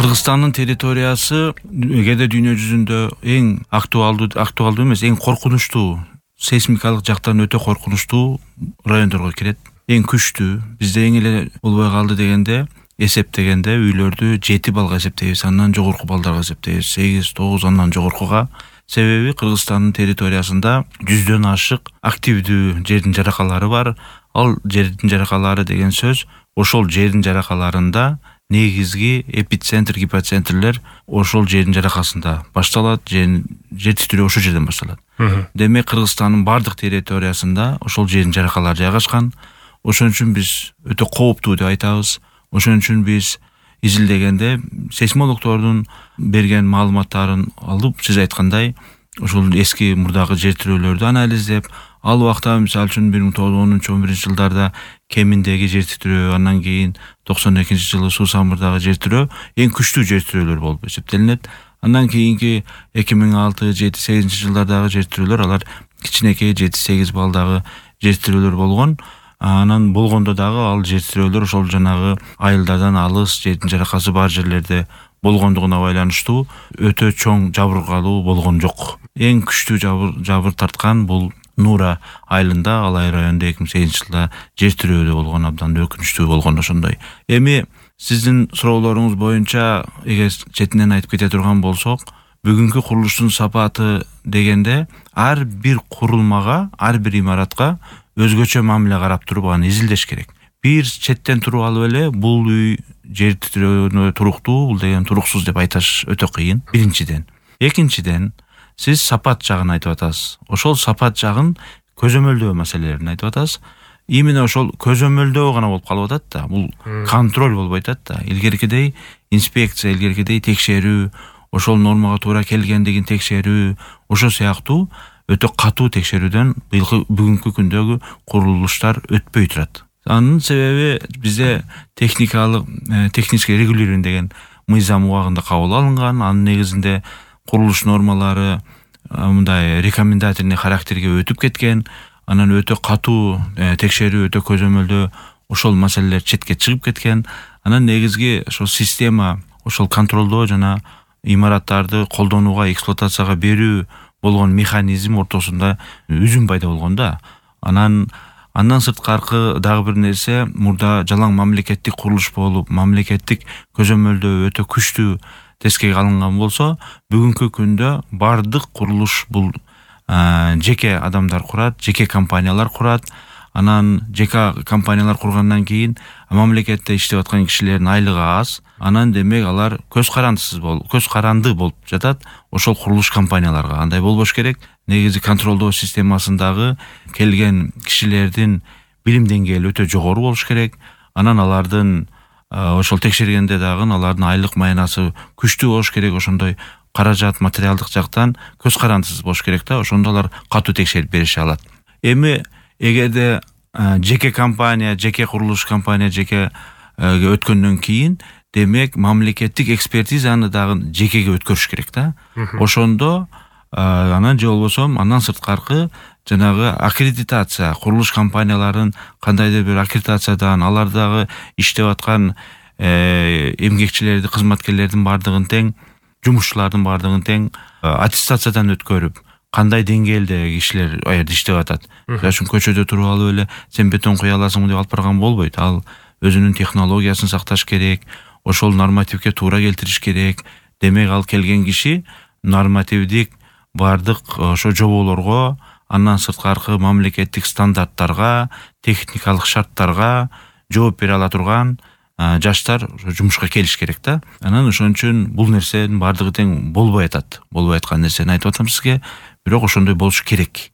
Кыргызстандын территориясы кээде дүйнө жүзүндө эң актуалдуу эмес, эң коркунучтуу, сейсмикалык жактан өтө коркунучтуу райондорго кирет. Эң күчтүү. Бизде эң эле болбой калды дегенде, эсептегенде үйлөрдү 7 балга эсептейбиз, андан жогорку балдарга эсептейбиз, 8, 9 андан жогоркуга. Себеби Кыргызстандын территориясында 100дөн ашык активдүү жердин жаракалары бар. Ал жердин жаракалары деген сөз ошол жердин жаракаларында негизги эпицентр, гипоцентрлер ошол жердин жаракасында башталат, жер титирөө ошол жерден башталат. Демек Кыргызстандын бардык территориясында ошол жердин жаракалары жайгашкан. Ошон үчүн биз өтө кооптуу деп айтабыз. Ошон үчүн биз изилдегенде сейсмологдордун берген маалыматтарын алып, сиз айткандай, ошол эски мурдагы жер тирөөлөрдү анализдеп, ал убакта мисалы үчүн 1910-11 жылдарда Кеминдеги жер титирөө, андан кийин 92-жылы Суу Самырдагы жер тирөө эң күчтүү жер тирөөлөр болуп эсептелинет. Андан кийинки 2006-7-8 жылдардагы жер тирөөлөр алар кичинекей 7-8 балдагы жер тирөөлөр болгон. Анан болгондо дагы ал жер тирөөлөр ошол жанагы айылдардан алыс, жердин жаракасы бар жерлерде болгондугуна байланыштуу өтө чоң жабыркалуу болгон жок. Эң күчтүү жабыр тарткан бул Нура айылында, Алай районунда 2008-жылда жер тирөөлү болгон, абдан өкүнүчтүү болгон ошондой. Эми сиздин суроолоруңуз боюнча эгер четинен айтып кете турган болсок, бүгүнкү курулуштун сапаты дегенде ар бир курулмага, ар бир имаратка өзгөчө мамиле карап туруп аны изилдеш керек. Бир четтен туруп алып эле бул үй жер титирөөнө туруктуу, бул деген туруксуз деп айташ өтө кыйын. Биринчиден. Экинчиден, сиз сапат жагын айтып атасыз. Ошол сапат жагын көзөмөлдөө маселелерин айтып атасыз. Именно ошол көзөмөлдөө гана болуп калып атат да. Бул контроль болбой атат да. Илгеркидей инспекция, илгеркидей текшерүү, ошол нормага туура келгендигин текшерүү, ошо сыяктуу өтө катуу текшерүүдөн бүгүнкү күндөгү курулуштар өтпөй турат. Анын себеби бизде технический регулирование деген мыйзам убагында кабыл алынган. Анын негизинде курулуш нормалары мындай рекомендательный характерге өтүп кеткен. Анан өтө катуу текшерүү, өтө көзөмөлдөө ошол маселелер четке чыгып кеткен. Анан негизги ошол система, ошол контролдоо жана имараттарды колдонууга, эксплуатацияга берүү болгон механизм ортосунда үзүм пайда болгон да. Андан сырткаркы дагы бир нерсе, мурда жалаң мамлекеттик курулуш болуп, мамлекеттик көзөмөлдөө өтө күчтүү тескеге алынган болсо, бүгүнкү күндө бардык курулуш бул жеке адамдар курат, жеке компаниялар курат. Анан жеке компаниялар кургандан кийин мамлекетте иштеп аткан кишилердин айлыгы аз. Анан демек алар көз каранды болуп жатат ошол курулуш компанияларга. Андай болбош керек. Негизи контролдоо системасындагы келген кишилердин билим деңгээли өтө жогору болуш керек. Анан алардын ошол текшергенде дагы алардын айлык маянасы күчтүү болуш керек. Ошондой каражат, материалдык жактан көз карандысыз болуш керек да. Ошондо алар катуу текшерип берише алат. Эми эгерде жеке компания, жеке курулуш компания жеке өткөндөн кийин, демек мамлекеттик экспертизаны дагы жекеге өткөрүш керек да. Ошондо анан же болбосо андан сырткаркы жанагы аккредитация, курулуш компанияларын кандайдыр бир аккредитациядан, алар дагы иштеп аткан эмгекчилерди, кызматкерлердин бардыгын тең, жумушчулардын бардыгын тең аттестациядан өткөрүп, кандай деңгээлде кишилер аерде иштеп атат. Үчүн көчөдө туруп алып эле сен бетон куя аласыңбы деп алып барган болбойт. Ал өзүнүн технологиясын сакташ керек, ошол нормативге туура келтириш керек. Демек ал келген киши нормативдик бардык ошо жоболорго, андан сырткаркы мамлекеттик стандарттарга, техникалык шарттарга жооп бере ала турган жаштар жумушка келиш керек да. Анан ошон үчүн бул нерсенин бардыгы тең болбой атат. Болбой аткан нерсени айтып атам сизге, бирок ошондой болуш керек.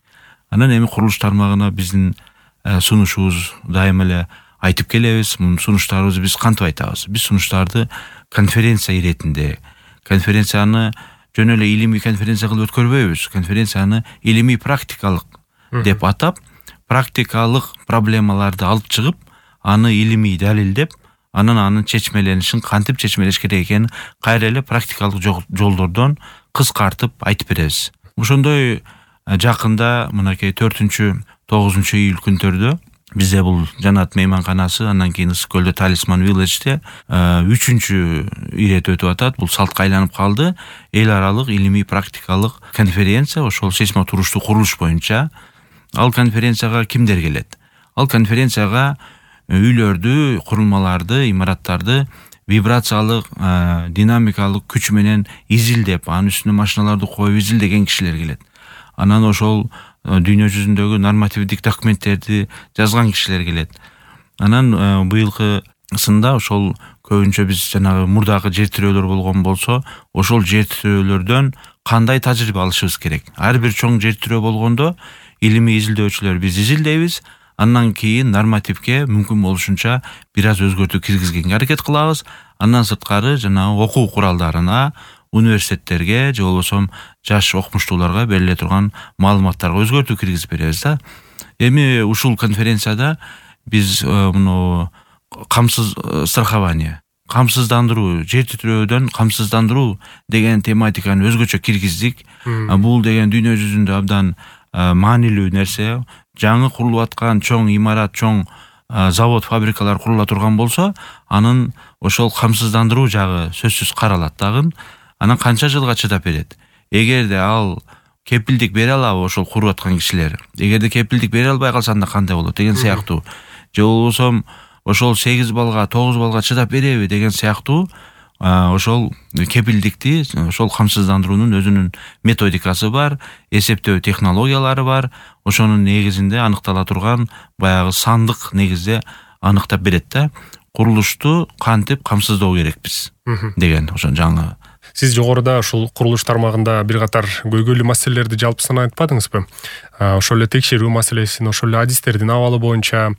Анан эми курулуш тармагына биздин сунушубуз дайыма эле айтып келебиз. Сунуштарыбызды биз кантип айтабыз? Биз сунуштарды конференция иретинде, конференцияны жөн эле илимий конференция кылып өткөрбөйбүз. Конференцияны илимий практикалык деп атап, практикалык проблемаларды алып чыгып, аны илимий далилдеп, анын чечмеленишин кантип чечмелеш керек экенин кайра эле практикалык жолдордон кыскартып айтып беребиз. Ошондой жакында мынакей 4-9 июль күндөрдө Бизде бул Жанат мейманканасы, андан кийин Ысык көлдө Талисман Village'те 3-чү ирет өтүп атат. Бул салтка айланып калды. Эл аралык илимий практикалык конференция, ошол сейсмотуруштуу курулуш боюнча. Ал конференцияга кимдер келет? Ал конференцияга үйлөрдү, курулмаларды, имараттарды вибрациялык, динамикалык күч менен изилдеп, анын үстүнө машиналарды коюп изилдеген кишилер келет. Анан ошол дүйнө жүзүндөгү нормативдик документтерди жазган кишилер келет. Анан быйылкы сында ошол көбүнчө биз жанагы мурдагы жер тирөөлөр болгон болсо, ошол жер тирөөлөрдөн кандай тажрыйба алышыбыз керек? Ар бир чоң жер тирөө болгондо илимий изилдөөчүлөр биз изилдейбиз. Андан кийин нормативге мүмкүн болушунча бир аз өзгөртүү киргизгенге аракет кылабыз. Андан сырткары жанагы окуу куралдарына, университеттерге же болбосо жаш окумуштууларга бериле турган маалыматтарга өзгөртүү киргизип беребиз да. Эми ушул конференцияда биз муну камсыз страхование, камсыздандыруу, жер тирөөдөн камсыздандыруу деген тематиканы өзгөчө киргиздик. Бул деген дүйнө жүзүндө абдан маанилүү нерсе. Жаңы курулуп аткан чоң имарат, чоң завод, фабрикалар курула турган болсо, анын ошол камсыздандыруу жагы сөзсүз каралат дагы. Анан канча жылга чыдап берет? Эгерде ал кепилдик бере алабы ошол куруп аткан кишилер? Эгерде кепилдик бере албай калса анда кандай болот деген сыяктуу. Же болбосо ошол 8 балга, 9 балга чыдап береби деген сыяктуу ошол кепилдикти, ошол камсыздандыруунун өзүнүн методикасы бар, эсептөө технологиялары бар. Ошонун негизинде аныктала турган баягы сандык негизде аныктап берет да. Курулушту кантип камсыздоо керекпиз деген ошо жаңы. Сиз жогоруда ушул курулуш тармагында бир катар көйгөйлүү маселелерди жалпысынан айтпадыңызбы? Ошол эле текшерүү маселесин, ошол эле адистердин абалы боюнча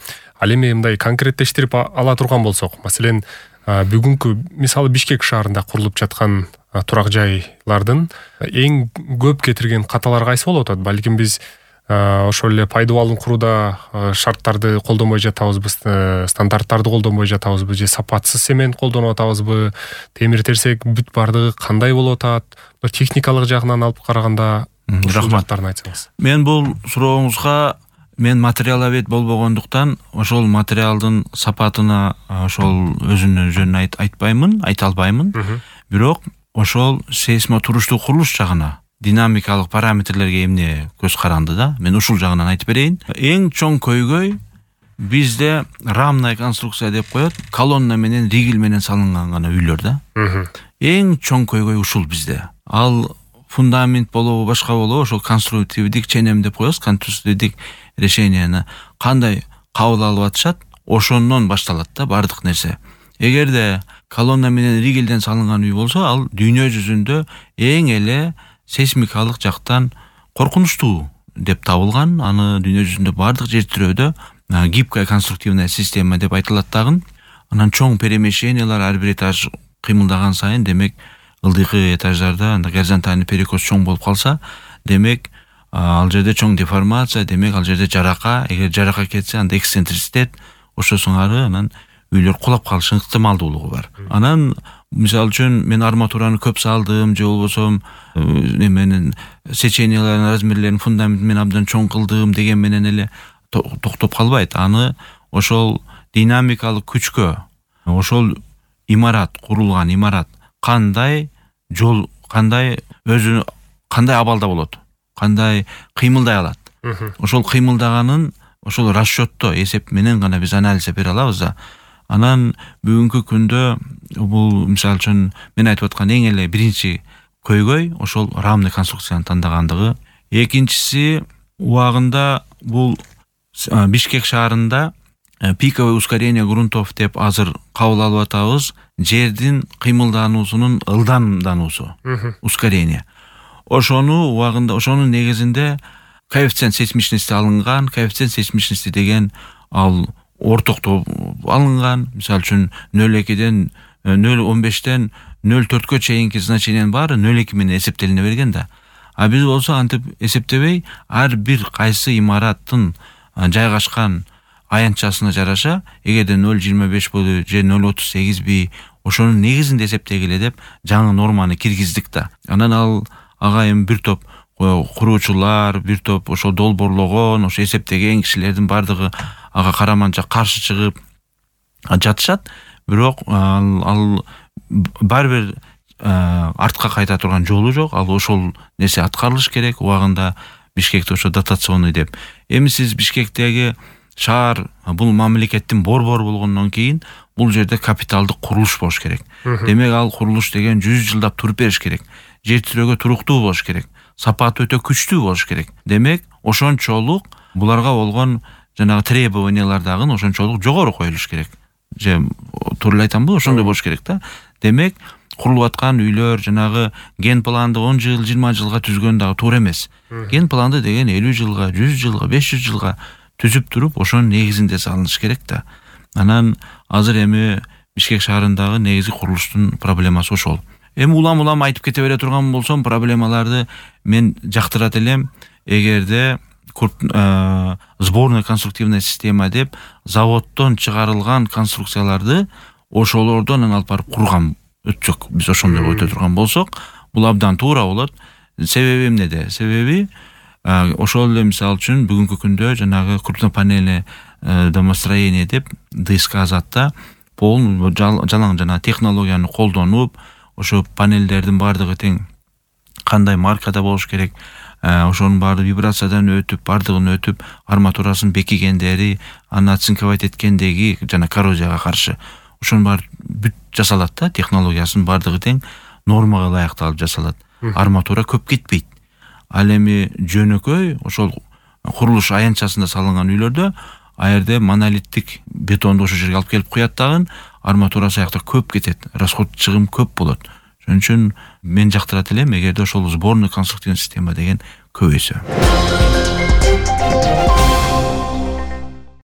ал эми мындай конкреттештирип ала турган болсок, маселен, бүгүнкү мисалы Бишкек шаарында курулуп жаткан турак жайлардын эң көп кетирген каталары кайсы болуп атат? Балким биз ошол эле пайдубалын курууда шарттарды колдонбой жатабызбы, стандарттарды колдонбой жатабызбы, же сапатсыз цемент колдонуп атабызбы, темир терсек бүт бардыгы кандай болуп атат? Техникалык жагынан алып караганда рахматтарын айтсаңыз. Мен бул сурооңузга материаловед болбогондуктан ошол материалдын сапатына ошол өзүнүн жөнүн айта албаймын. Бирок ошол сейсмотуруштуу курулуш жагына, динамикалык параметрлерге эмне көз каранды да, мен ушул жагынан айтып берейин. Эң чоң көйгөй бизде рамная конструкция деп коет, колонна менен, ригель менен салынган гана үйлөр да. Эң чоң көйгөй ушул бизде. Ал фундамент болобу, башка болобу, ошол конструктивдик ченем деп коебуз, конструктивдик решенияны кандай кабыл алып атышат, ошондон башталат да бардык нерсе. Эгерде колонна менен ригелден салынган үй болсо, ал дүйнө жүзүндө эң эле сейсмикалык жактан коркунучтуу деп табылган. Аны дүйнө жүзүндө бардык жер тирөөдө гибкая конструктивная система деп айтылат дагы. Анан чоң перемещениялар, ар бир этаж кыймылдаган сайын, демек ылдыйкы этаждарда горизонтальный перекос чоң болуп калса, демек ал жерде чоң деформация, демек ал жерде жарака, эгер жарака кетсе, анда эксцентриситет, ошо сыңары анан үйлөр кулап калышы ыктымалдуулугу бар. Анан мисалы үчүн мен арматураны көп салдым, же болбосо менен сечениялардын размерлерин фундамент менен абдан чоң кылдым деген менен эле токтоп калбайт. Аны ошол динамикалык күчкө, ошол имарат, курулган имарат кандай жол, кандай өзү кандай абалда болот, кандай кыймылдай алат. Ошол кыймылдаганын ошол расчетто, эсеп менен гана биз анализ бере алабыз да. Анан бүгүнкү күндө бул мисалы үчүн мен айтып аткан эң эле биринчи көйгөй ошол рамный конструкцияны тандагандыгы. Экинчиси, убагында бул Бишкек шаарында пиковое ускорение грунтов деп азыр кабыл алып атабыз, жердин кыймылдануусунун ылдамдануусу, ускорение. Ошону убагында, ошонун негизинде коэффициент сейсмичности алынган. Коэффициент сейсмичности деген ал ортоктоп алынган. Мисалы үчүн 0,2ден 0,15ден 0,4кө чейинки значениянын баары 0,2 менен эсептелине берген да. А биз болсо антип эсептебей, ар бир кайсы имараттын жайгашкан аянтчасына жараша, эгерде 0,25 болду же 0,38 би, ошонун негизинде эсептегиле деп жаңы норманы киргиздик да. Анан ал ага эми бир топ куруучулар, бир топ ошо долбоорлогон, ошо эсептеген кишилердин бардыгы ага караманча каршы чыгып жатышат. Бирок ал баары бир артка кайта турган жолу жок. Ал ошол нерсе аткарылыш керек. Убагында Бишкекте ошо дотационный деп. Эми сиз Бишкектеги шаар бул мамлекеттин борбору болгондон кийин бул жерде капиталдык курулуш болуш керек. Демек ал курулуш деген 100 жылдап туруп бериш керек. Жер тирөөгө туруктуу болуш керек. Сапаты өтө күчтүү болуш керек. Демек ошончолук буларга болгон жанагы требованиялар дагы ошончолук жогору коюлуш керек. Же туура эле айтамбы? Ошондой болуш керек да. Демек курулуп аткан үйлөр жанагы ген планды 10 жыл, 20 жылга түзгөн дагы туура эмес. Ген планды деген 50 жылга, 100 жылга, 500 жылга түзүп туруп ошонун негизинде салыныш керек да. Анан азыр эми Бишкек шаарындагы негизги курулуштун проблемасы ошол. Эми улам айтып кете бере турган болсом, проблемаларды мен жактырат элем. Эгерде сборная конструктивная система деп заводдон чыгарылган конструкцияларды ошолордон алып барып курган өтсөк, биз ошондой өтө турган болсок, бул абдан туура болот. Себеби эмнеде? Себеби ошол эле мисалы үчүн бүгүнкү күндө жанагы крупнопанельное домостроение деп ДСК затта полный жалаң жана технологияны колдонуп, ошо панелдердин бардыгы тең кандай маркада болуш керек, ошонун баары вибрациядан өтүп, бардыгын өтүп, арматурасын бекигендери, аны оцинковать эткендеги жана коррозияга каршы ошонун баары бүт жасалат да, технологиясынын бардыгы тең нормага ылайыкталып жасалат. Арматура көп кетпейт. Ал эми жөнөкөй ошол курулуш аянтчасында салынган үйлөрдө аерде монолиттик бетонду ошол жерге алып келип куят дагы, арматурасы аякта көп кетет, расход чыгым көп болот. Ошон үчүн мен жактырат элем, эгерде ошол сборный конструктивный система деген көбөйсө.